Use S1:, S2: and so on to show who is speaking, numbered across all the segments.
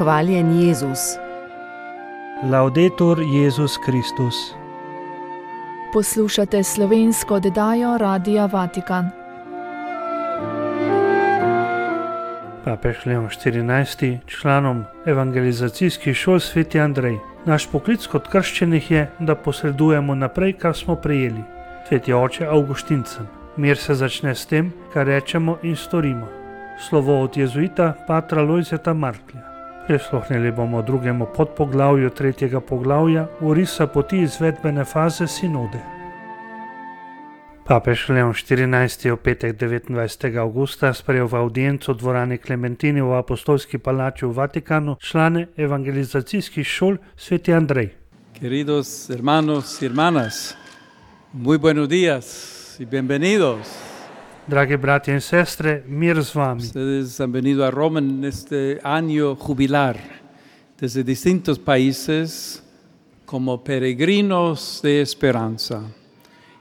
S1: Hvaljen Jezus.
S2: Laudetur Jezus Kristus.
S3: Poslušate slovensko oddajo Radia Vatikan.
S2: Papež Leon XIV. Članom evangelizacijskih šol Sveti Andrej. Naš poklic kot krščenih je, da posredujemo naprej, kar smo prejeli. Sveti oče Avguštincem. Mir se začne s tem, kar rečemo in storimo. Slovo od jezuita patra Lojzeta Marklja. Prisluhnili bomo drugemu podpoglavju tretjega poglavja orisa poti izvedbene faze sinode. Papež Leon XIV. Je v petek 29. avgusta sprejel v avdienco v dvorani Klementini v Apostolski palači v Vatikanu člane evangelizacijskih šol Sveti Andrej.
S4: Queridos hermanos y hermanas, muy buenos días y bienvenidos.
S2: Dragi bratje in sestre, mir z vami.
S4: Ustedes han venido a Roma en este año jubilar desde distintos países como peregrinos de esperanza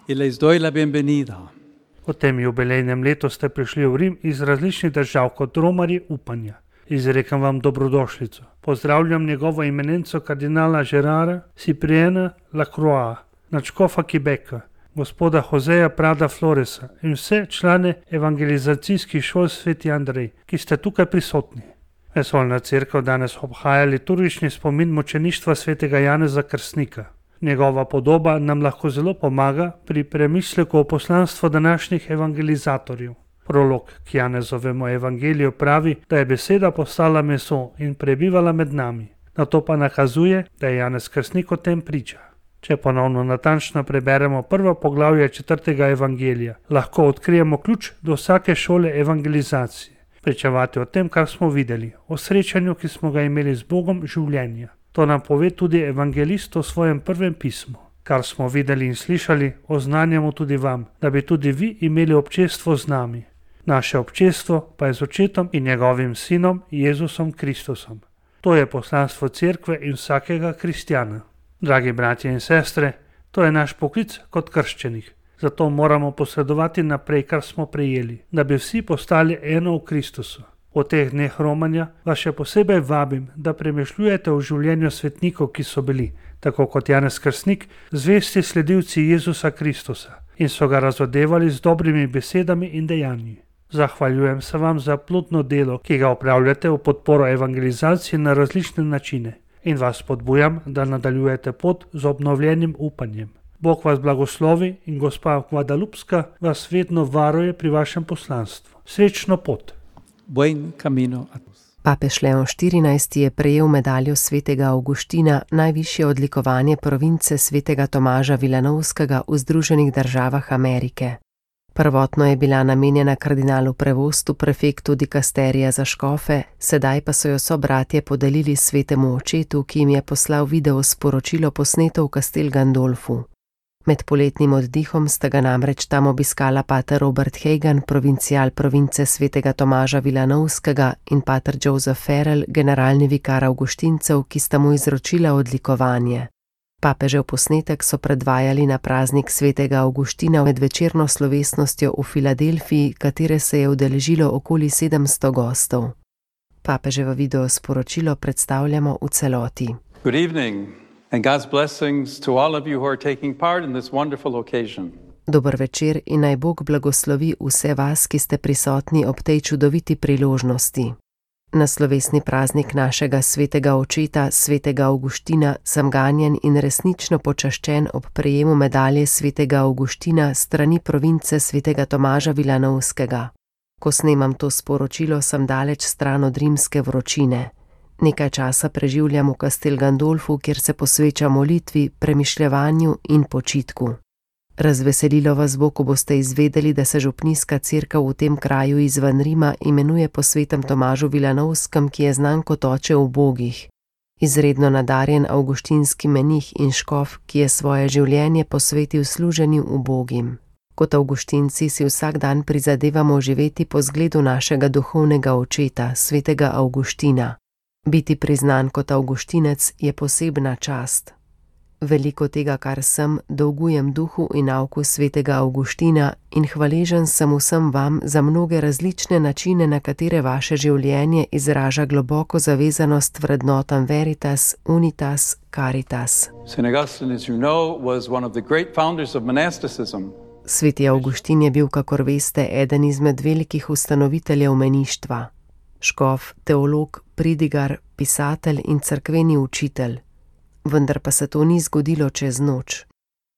S4: y les doy la bienvenida.
S2: V tem jubilejnem letu ste prišli v Rim iz različnih držav kot romarji upanja. Izrekam vam dobrodošlico. Pozdravljam njegovo eminenco kardinala Gerara Cypriena Lacroix, nadškofa Quebeca, gospoda Joseja Prada Floresa in vse člane evangelizacijskih šol Sveti Andrej, ki ste tukaj prisotni. Vesoljna cerkev danes obhaja liturgični spomin mučeništva svetega Janeza Krstnika. Njegova podoba nam lahko zelo pomaga pri premisleku o poslanstvu današnjih evangelizatorjev. Prolog k Janezovemu evangeliju pravi, da je beseda postala meso in prebivala med nami. Na to pa nakazuje, da je Janez Krstnik o tem priča. Če ponovno natančno preberemo prvo poglavje četrtega evangelija, lahko odkrijemo ključ do vsake šole evangelizacije. Pričevati o tem, kar smo videli, o srečanju, ki smo ga imeli z Bogom življenja. To nam pove tudi evangelist v svojem prvem pismu. Kar smo videli in slišali, oznanjamo tudi vam, da bi tudi vi imeli občestvo z nami. Naše občestvo pa je z očetom in njegovim sinom Jezusom Kristusom. To je poslanstvo cerkve in vsakega kristjana. Dragi bratje in sestre, to je naš poklic kot krščenih. Zato moramo posredovati naprej, kar smo prejeli, da bi vsi postali eno v Kristusu. V teh dneh romanja vas še posebej vabim, da premišljujete o življenju svetnikov, ki so bili, tako kot Janez Krstnik, zvesti sledilci Jezusa Kristusa in so ga razodevali z dobrimi besedami in dejanji. Zahvaljujem se vam za plodno delo, ki ga opravljate v podporo evangelizaciji na različne načine in vas spodbujam, da nadaljujete pot z obnovljenim upanjem. Bog vas blagoslovi in gospa Guadalupska vas vedno varuje pri vašem poslanstvu. Srečno pot!
S4: Buen camino a todos.
S1: Papež Leon XIV. Je prejel medaljo svetega Avguština, najvišje odlikovanje province svetega Tomaža Vilanovskega v Združenih državah Amerike. Prvotno je bila namenjena kardinalu Prevostu, prefektu dikasterija za škofe, sedaj pa so jo sobratje podelili svetemu očetu, ki jim je poslal video sporočilo posneto v Castel Gandolfu. Med poletnim oddihom sta ga namreč tam obiskala pater Robert Hagan, provincial province svetega Tomaža Vilanovskega, in pater Joseph Farrell, generalni vikar Avguštincev, ki sta mu izročila odlikovanje. Papežev posnetek so predvajali na praznik svetega Avguština med večerno slovesnostjo v Filadelfiji, katere se je udeležilo okoli 700 gostov. Papeževo video sporočilo predstavljamo v celoti.
S4: Good evening and God's blessings to all of you who are taking part in this wonderful occasion.
S1: Dober večer in naj Bog blagoslovi vse vas, ki ste prisotni ob tej čudoviti priložnosti. Na slovesni praznik našega svetega očeta, svetega Avguština, sem ganjen in resnično počaščen ob prejemu medalje svetega Avguština strani province svetega Tomaža Vilanovskega. Ko snemam to sporočilo, sem daleč stran od rimske vročine. Nekaj časa preživljam v Castel Gandolfu, kjer se posveča molitvi, premišljevanju in počitku. Razveselilo vas bo, ko boste izvedeli, da se župnijska cerkev v tem kraju izven Rima imenuje po svetem Tomažu Vilanovskem, ki je znan kot oče ubogih. Izredno nadarjen avguštinski menih in škof, ki je svoje življenje posvetil služenju ubogim. Kot avguštinci si vsak dan prizadevamo živeti po zgledu našega duhovnega očeta, svetega Avguština. Biti priznan kot avguštinec je posebna čast. Veliko tega, kar sem, dolgujem duhu in nauku svetega Avguština in hvaležen sem vsem vam za mnoge različne načine, na katere vaše življenje izraža globoko zavezanost vrednotam Veritas, Unitas, Caritas.
S4: St. Augustine, as you know, was one of the great founders of monasticism.
S1: Sveti Avguštin je bil, kakor veste, eden izmed velikih ustanoviteljev meništva. Škof, teolog, pridigar, pisatelj in cerkveni učitelj. Vendar pa se to ni zgodilo čez noč.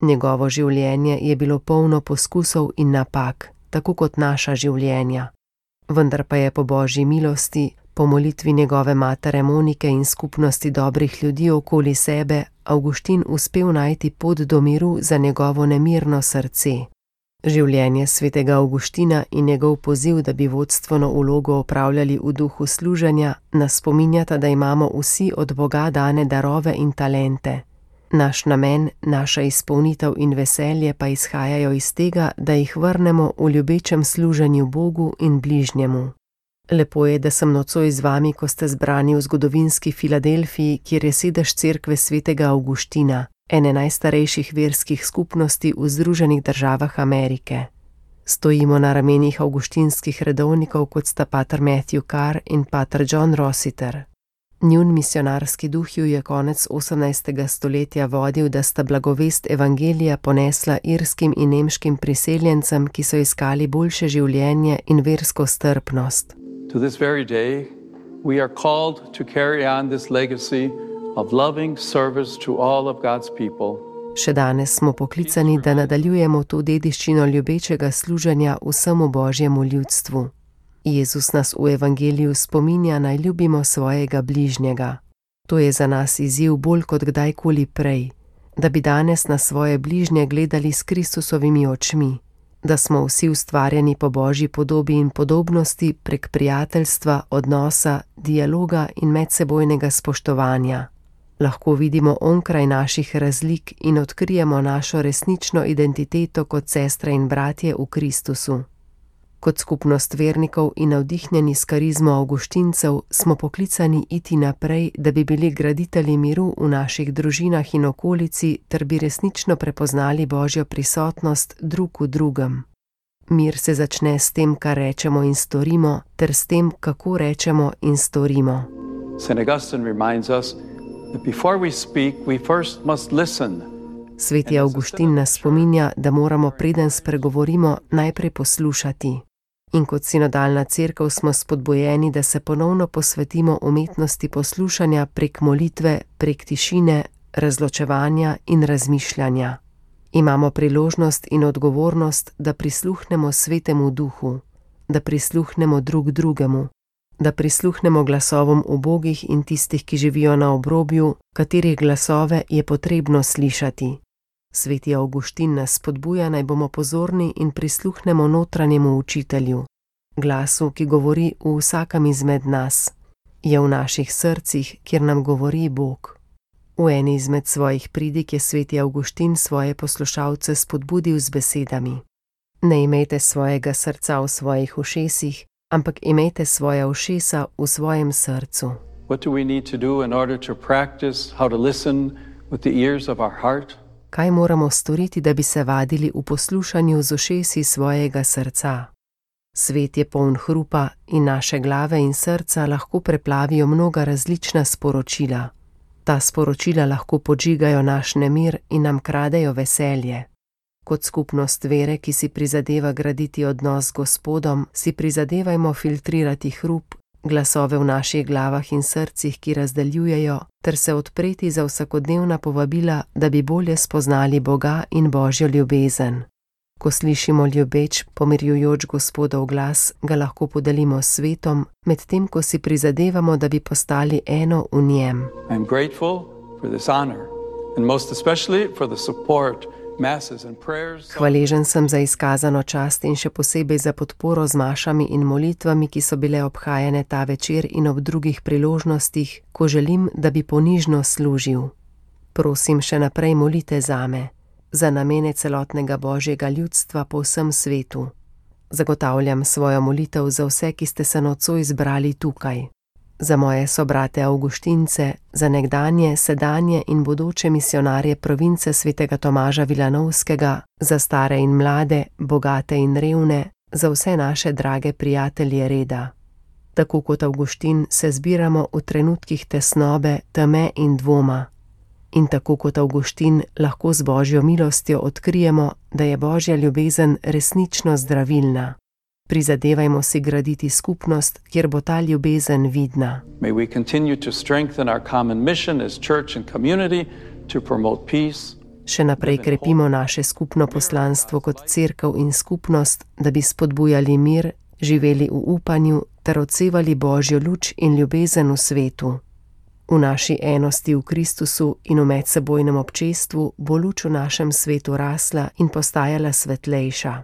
S1: Njegovo življenje je bilo polno poskusov in napak, tako kot naša življenja. Vendar pa je po Božji milosti, po molitvi njegove matere Monike in skupnosti dobrih ljudi okoli sebe, Avguštin uspel najti pot do miru za njegovo nemirno srce. Življenje svetega Avguština in njegov poziv, da bi vodstveno vlogo opravljali v duhu služenja, nas spominjata, da imamo vsi od Boga dane darove in talente. Naš namen, naša izpolnitev in veselje pa izhajajo iz tega, da jih vrnemo v ljubečem služenju Bogu in bližnjemu. Lepo je, da sem nocoj z vami, ko ste zbrani v zgodovinski Filadelfiji, kjer je sedež cerkve svetega Avguština, ene najstarejših verskih skupnosti v Združenih državah Amerike. Stojimo na ramenih avguštinskih redovnikov, kot sta pater Matthew Carr in pater John Rossiter. Njun misionarski duh ju je konec 18. stoletja vodil, da sta blagovest evangelija ponesla irskim in nemškim priseljencem, ki so iskali boljše življenje in versko strpnost.
S4: To this very day, we are called to carry on this legacy of loving service to all of God's people.
S1: Še danes smo poklicani, da nadaljujemo to dediščino ljubečega služenja vsemu Božjemu ljudstvu. Jezus nas v evangeliju spominja, naj ljubimo svojega bližnjega. To je za nas izziv bolj kot kdajkoli prej, da bi danes na svoje bližnje gledali s Kristusovimi očmi, da smo vsi ustvarjeni po Božji podobi in podobnosti prek prijateljstva, odnosa, dialoga in medsebojnega spoštovanja. Lahko vidimo onkraj naših razlik in odkrijemo našo resnično identiteto kot sestre in bratje v Kristusu. Kot skupnost vernikov in navdihnjeni s karizmo avguštincev smo poklicani iti naprej, da bi bili graditelji miru v naših družinah in okolici ter bi resnično prepoznali Božjo prisotnost drug v drugem. Mir se začne s tem, kar rečemo in storimo, ter s tem, kako rečemo in storimo.
S4: St. Augustine reminds us that before we speak, we first must listen.
S1: Sveti Avguštin nas spominja, da moramo, preden spregovorimo, najprej poslušati. In kot sinodalna cerkev smo spodbujeni, da se ponovno posvetimo umetnosti poslušanja prek molitve, prek tišine, razločevanja in razmišljanja. Imamo priložnost in odgovornost, da prisluhnemo svetemu duhu, da prisluhnemo drug drugemu, da prisluhnemo glasovom ubogih in tistih, ki živijo na obrobju, katerih glasove je potrebno slišati. Sveti Avguštin nas spodbuja, naj bomo pozorni in prisluhnemo notranjemu učitelju, glasu, ki govori v vsakem izmed nas. Je v naših srcih, kjer nam govori Bog. V eni izmed svojih pridig je sveti Avguštin svoje poslušalce spodbudil z besedami: Ne imejte svojega srca v svojih ušesih, ampak imejte svoja ušesa v svojem srcu.
S4: What do we need to do in order to practice how to listen with the ears of our heart?
S1: Kaj moramo storiti, da bi se vadili v poslušanju z ušesi svojega srca? Svet je poln hrupa in naše glave in srca lahko preplavijo mnoga različna sporočila. Ta sporočila lahko podžigajo naš nemir in nam kradejo veselje. Kot skupnost vere, ki si prizadeva graditi odnos z Gospodom, si prizadevajmo filtrirati hrup, glasove v naših glavah in srcih, ki razdeljujejo, ter se odpreti za vsakodnevna povabila, da bi bolje spoznali Boga in Božjo ljubezen. Ko slišimo ljubeč, pomirjujoč Gospodov glas, ga lahko podelimo s svetom, medtem ko si prizadevamo, da bi postali eno v njem.
S4: I am grateful for this honor and most especially for the support masses and prayers.
S1: Hvaležen sem za izkazano čast in še posebej za podporo z mašami in molitvami, ki so bile obhajane ta večer in ob drugih priložnostih, ko želim, da bi ponižno služil. Prosim, še naprej molite zame, za namene celotnega Božjega ljudstva po vsem svetu. Zagotavljam svojo molitev za vse, ki ste se nocoj zbrali tukaj. za moje sobrate Avguštince, za nekdanje, sedanje in bodoče misionarje province svetega Tomaža Vilanovskega, za stare in mlade, bogate in revne, za vse naše drage prijatelje reda. Tako kot Avguštin se zbiramo v trenutkih tesnobe, teme in dvoma. In tako kot Avguštin lahko z Božjo milostjo odkrijemo, da je Božja ljubezen resnično zdravilna. Prizadevajmo si graditi skupnost, kjer bo ta ljubezen vidna.
S4: May we continue to strengthen our common mission as church and community to promote peace.
S1: Še naprej krepimo naše skupno poslanstvo kot cerkev in skupnost, da bi spodbujali mir, živeli v upanju ter odsevali Božjo luč in ljubezen v svetu. V naši enosti v Kristusu in v medsebojnem občestvu bo luč v našem svetu rasla in postajala svetlejša.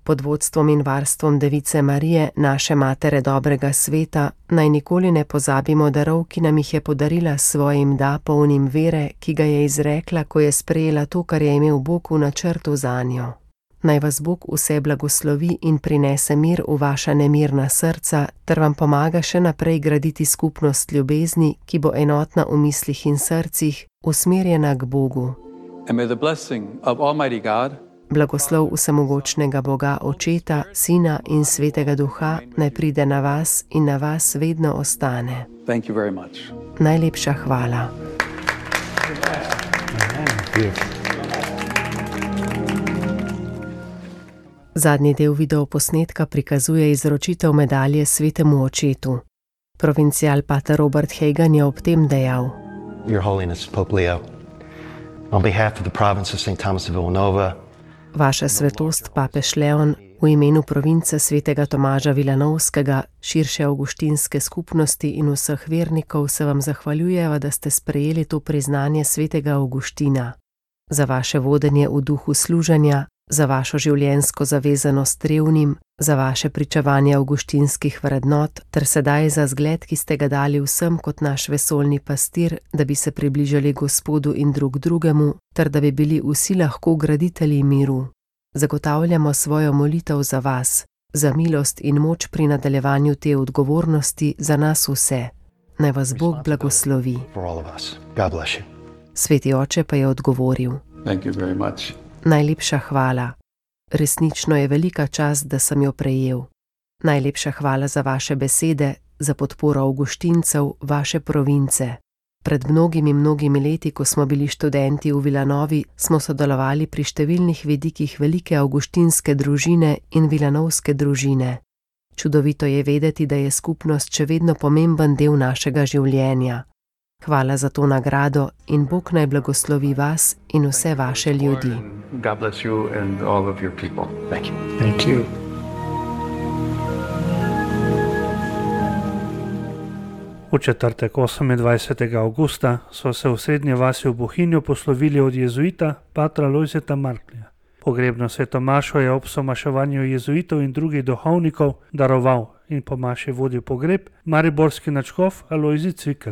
S1: Pod vodstvom in varstvom Device Marije, naše matere dobrega sveta, naj nikoli ne pozabimo darov, ki nam jih je podarila s svojim da polnim vere, ki ga je izrekla, ko je sprejela to, kar je imel Bog v načrtu zanjo. Naj vas Bog vse blagoslovi in prinese mir v vaša nemirna srca, ter vam pomaga še naprej graditi skupnost ljubezni, ki bo enotna v mislih in srcih, usmerjena k Bogu.
S4: And may the blessing of Almighty God,
S1: Blagoslov vsemogočnega Boga, Očeta, Sina in Svetega Duha naj pride na vas in na vas vedno ostane.
S4: thank you very much.
S1: Najlepša hvala. Zadnji del videoposnetka prikazuje izročitev medalje Svetemu Očetu. Provincial pater Robert Hagan je ob tem dejal:
S5: Your Holiness, Pope Leo, on behalf of the province of St. Thomas of Villanova,
S1: Vaša svetost, papež Leon, v imenu province svetega Tomaža Vilanovskega, širše avguštinske skupnosti in vseh vernikov se vam zahvaljujeva, da ste sprejeli to priznanje svetega Avguština. Za vaše vodenje v duhu služenja, za vašo življenjsko zavezanost revnim, za vaše pričevanje avguštinskih vrednot, ter sedaj za zgled, ki ste ga dali vsem kot naš vesoljni pastir, da bi se približali Gospodu in drug drugemu, ter da bi bili vsi lahko graditelji miru. Zagotavljamo svojo molitev za vas, za milost in moč pri nadaljevanju te odgovornosti za nas vse. Naj vas Bog blagoslovi.
S5: for all of us. God bless you.
S1: Sveti oče pa je odgovoril:
S4: Thank you very much.
S1: Najlepša hvala. Resnično je velika čast, da sem jo prejel. Najlepša hvala za vaše besede, za podporo Avguštincev, vaše province. Pred mnogimi leti, ko smo bili študenti v Vilanovi, smo sodelovali pri številnih vidikih velike avguštinske družine in vilanovske družine. Čudovito je vedeti, da je skupnost še vedno pomemben del našega življenja. Hvala za to nagrado in Bog naj blagoslovi vas in vse vaše ljudi.
S6: God bless you and all of your people.
S5: Thank you.
S2: Thank you. V četrtek 28. avgusta so se v srednje vasi v Bohinju poslovili od jezuita patra Lojzeta Marklja. Pogrebno sveto mašo je ob somaševanju jezuitov in drugih duhovnikov daroval in po maši vodil pogreb mariborski nadškof Alojzij Cvikl.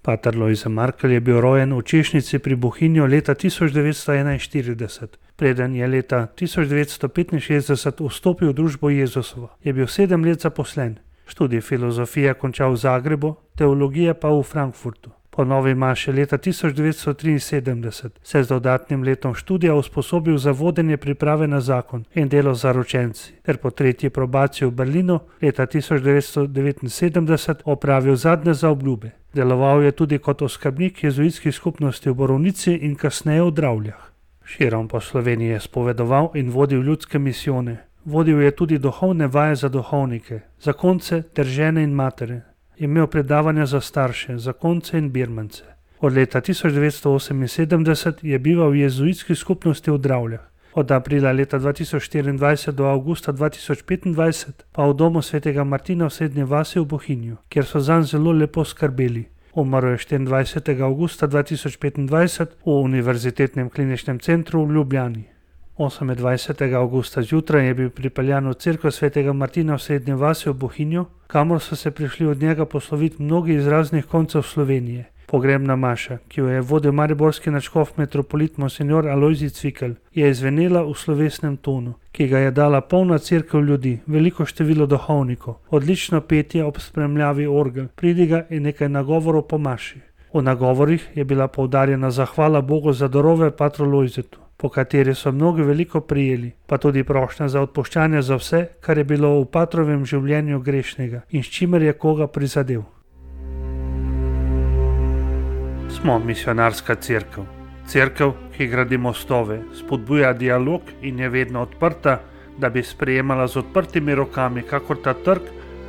S2: Pater Lojze Markelj je bil rojen v Češnici pri Bohinju leta 1941. Preden je leta 1965 vstopil v družbo Jezusovo, je bil 7 let zaposlen. Študij filozofije končal v Zagrebu, teologije pa v Frankfurtu. Po novi maši leta 1973 se je z dodatnim letom študija usposobil za vodenje priprave na zakon in delo z zaročenci, ter po tretji probaciji v Berlinu leta 1979 opravil zadnje zaobljube. Deloval je tudi kot oskrbnik jezuitskih skupnosti v Borovnici in kasneje v Dravljah. Širom po Sloveniji je spovedoval in vodil ljudske misijone. Vodil je tudi duhovne vaje za duhovnike, zakonce ter žene in matere. Imel predavanja za starše, zakonce in birmance. Od leta 1978 je bival v jezuitski skupnosti v Dravljah. Od aprila leta 2024 do avgusta 2025 pa v domu svetega Martina v Srednje vasi v Bohinju, kjer so zanj zelo lepo skrbeli. Umrl je 24. avgusta 2025 v Univerzitetnem kliničnem centru v Ljubljani. 28. avgusta zjutraj je bil pripeljan v cerkev svetega Martina v Srednje vasi v Bohinju, kamor so se prišli od njega posloviti mnogi iz raznih koncev Slovenije. Pogrebna maša, ki jo je vodil mariborski nadškof metropolit monsignor Alojzij Cvikl, je izvenela v slovesnem tonu, ki ga je dala polna cerkev ljudi, veliko število duhovnikov, odlično petje ob spremljavi orgel, pridiga in nekaj nagovorov po maši. V nagovorih je bila poudarjena zahvala Bogu za darove patru Lojzetu, po kateri so mnogi veliko prijeli, pa tudi prošnja za odpuščanje za vse, kar je bilo v patrovem življenju grešnega in s čimer je koga prizadel. Smo misionarska cerkev. Cerkev, ki gradi mostove, spodbuja dialog in je vedno odprta, da bi sprejemala z odprtimi rokami, kakor ta trg,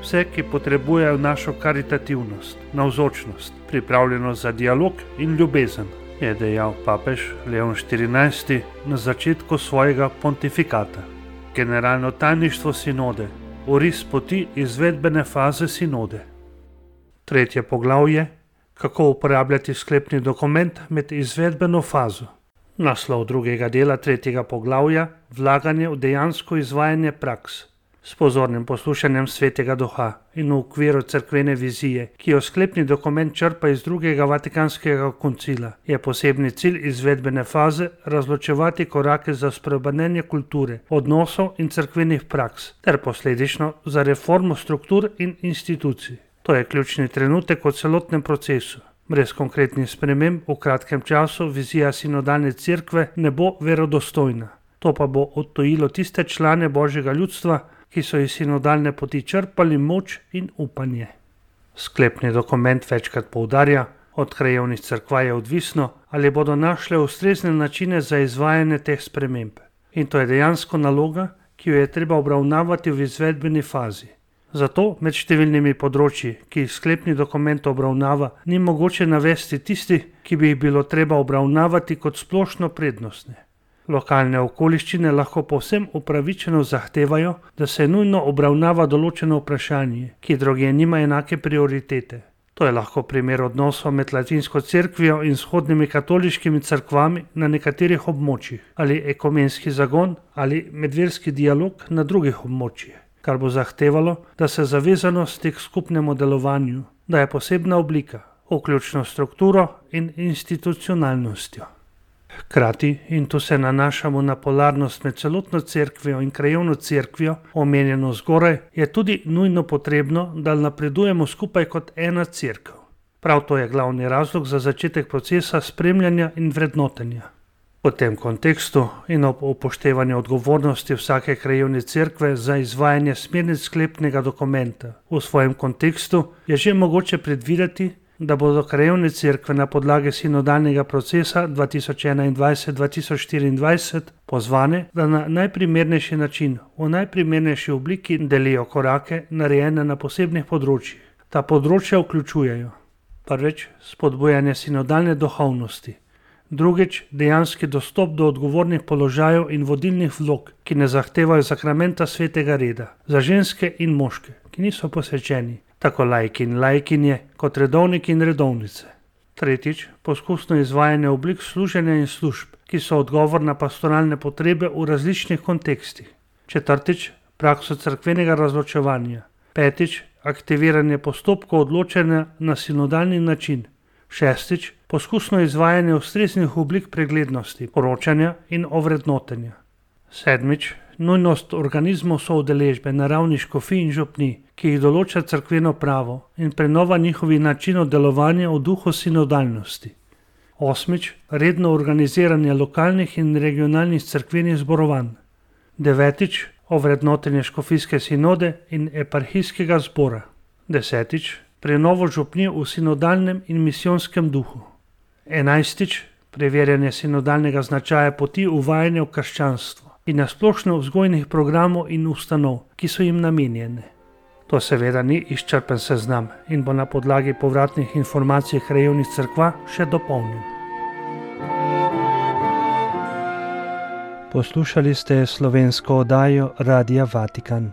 S2: vse, ki potrebujejo našo karitativnost, navzočnost, pripravljenost za dialog in ljubezen, je dejal papež Leon XIV na začetku svojega pontifikata. Generalno tajništvo sinode, oris poti izvedbene faze sinode. 3. poglavje. Kako uporabljati sklepni dokument med izvedbeno fazo. Naslov 2. dela 3. poglavja, vlaganje v dejansko izvajanje praks. S pozornim poslušanjem Svetega Duha in v okviru cerkvene vizije, ki jo sklepni dokument črpa iz 2. Vatikanskega koncila, je posebni cilj izvedbene faze razločevati korake za spreobrnenje kulture, odnosov in cerkvenih praks, ter posledično za reformo struktur in institucij. To je ključni trenutek v celotnem procesu. Brez konkretnih sprememb v kratkem času vizija sinodalne cerkve ne bo verodostojna. To pa bo odtujilo tiste člane Božjega ljudstva, ki so iz sinodalne poti črpali moč in upanje. Sklepni dokument večkrat poudarja, od krajevnih cerkva je odvisno, ali bodo našle ustrezne načine za izvajanje teh sprememb. In to je dejansko naloga, ki jo je treba obravnavati v izvedbeni fazi. Zato med številnimi področji, ki jih sklepni dokument obravnava, ni mogoče navesti tistih, ki bi jih bilo treba obravnavati kot splošno prednostne. Lokalne okoliščine lahko povsem upravičeno zahtevajo, da se nujno obravnava določeno vprašanje, ki drugje nima enake prioritete. To je lahko primer odnosov med latinsko cerkvijo in vzhodnimi katoliškimi cerkvami na nekaterih območjih, ali ekumenski zagon ali medverski dialog na drugih območjih, kar bo zahtevalo, da se zavezanost k skupnemu delovanju daje posebna oblika, vključno strukturo in institucionalnostjo. Hkrati, in tu se nanašamo na polarnost med celotno cerkvijo in krajevno cerkvijo, omenjeno zgoraj, je tudi nujno potrebno, da napredujemo skupaj kot ena cerkev. Prav to je glavni razlog za začetek procesa spremljanja in vrednotenja. V tem kontekstu in ob upoštevanju odgovornosti vsake krajevne cerkve za izvajanje smernic sklepnega dokumenta v svojem kontekstu je že mogoče predvideti, da bodo krajevne cerkve na podlagi sinodalnega procesa 2021-2024 pozvane, da na najprimernejši način, v najprimernejši obliki delijo korake, narejene na posebnih področjih. Ta področja vključujejo: prvič, spodbujanje sinodalne duhovnosti; drugič, dejanski dostop do odgovornih položajev in vodilnih vlog, ki ne zahtevajo sakramenta svetega reda, za ženske in moške, ki niso posvečeni, tako laiki in laikinje, kot redovniki in redovnice. Tretjič, poskusno izvajanje oblik služenja in služb, ki so odgovor na pastoralne potrebe v različnih kontekstih. Četrtič, prakso cerkvenega razločevanja. Petič, aktiviranje postopkov odločanja na sinodalni način. Šestič, poskusno izvajanje ustreznih oblik preglednosti, poročanja in ovrednotenja. Sedmič, nujnost organizmov soudeležbe na ravni škofij in župnij, ki jih določa cerkveno pravo, in prenova njihovih načinov delovanja v duhu sinodalnosti. Osmič, redno organiziranje lokalnih in regionalnih cerkvenih zborovanj. Devetič, ovrednotenje škofijske sinode in eparhijskega zbora. Desetič, prenovo župnij v sinodalnem in misijonskem duhu. 11. Preverjanje sinodalnega značaja poti uvajanja v krščanstvo in nasplošno vzgojnih programov in ustanov, ki so jim namenjene. To seveda ni izčrpen seznam in bo na podlagi povratnih informacij krajevnih cerkva še dopolnjen. Poslušali ste slovensko oddajo Radia Vatikan.